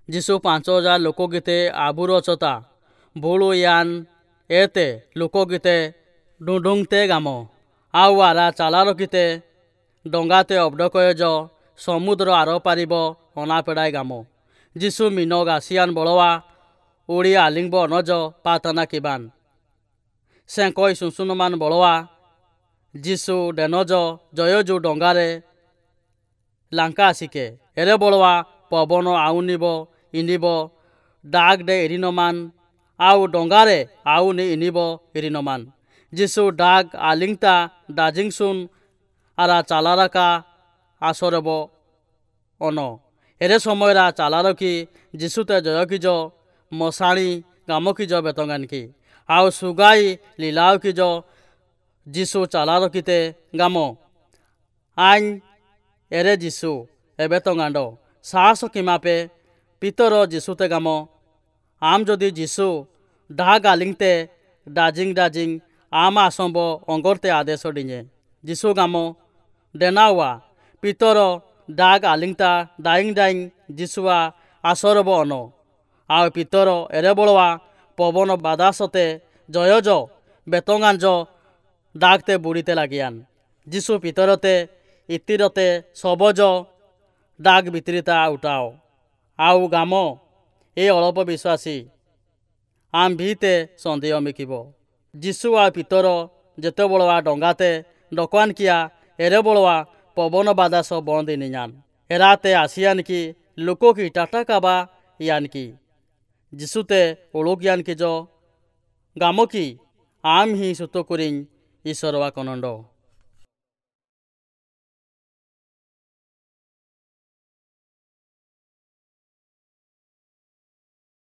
जिसु 5000 लोकगीते आबुरचता बुलुयान एते लोकगीते डुडुंगते गामो आउ आरा चालारकिते डंगाते अबडकयज समुद्र आर पारिब अनापेड़ाय गामो। जिसु मीन गासियान बळवा उड़ी आलिंगब अनज पातना किबान सेंकय सुसुनमान बळवा जिसु डेनज जयजु डंगारे लांका आसिके एरे बळवा पवन आउनिब इनिब डाग डे इरिनमान आउ डंगारे आउनि इनिब इरिनमान। जिसु डाग आलिंगता दाजिंगसुन आरा चालाराका आसरब अन एरे समयरा चालारकी जिसुते जयकिज मसाणी गामकिज बेतंगानकी आउ सुगाई लीलावकिज जिसु चालारकीते गामो आइन एरे जिसु एबेतंगांड साहस किमापे पितर जिसुते गामो आम जदि जिसु डाग आलिंगते डाजिंग डाजिंग आम आसंब अंगरते आदेश डिñे। जिसु गामो डेनावा पितर डाग आलिंगता डाइंग डाइंग जिसुआ आसरब अन आउ पितर एरे बळवा पवन बादासते जयज बेतंगांज डागते बुड़ीते लागियान। जिसु पितरते इतिरते सबज डाग बितरिता उठाओ आउ गामो ए अल्प विश्वासी आम भीते सन्देह मिकिब। जिसु आ पितर जेते बळवा डंगाते डकवान किया एरे बळवा पवन बादास बंद इनियान एराते आसियान की लोको की टाटा काबा यान की जिसुते ओळुक यान की जो गामो की आम ही सुतो कुरिंग ईश्वरवा कनंड।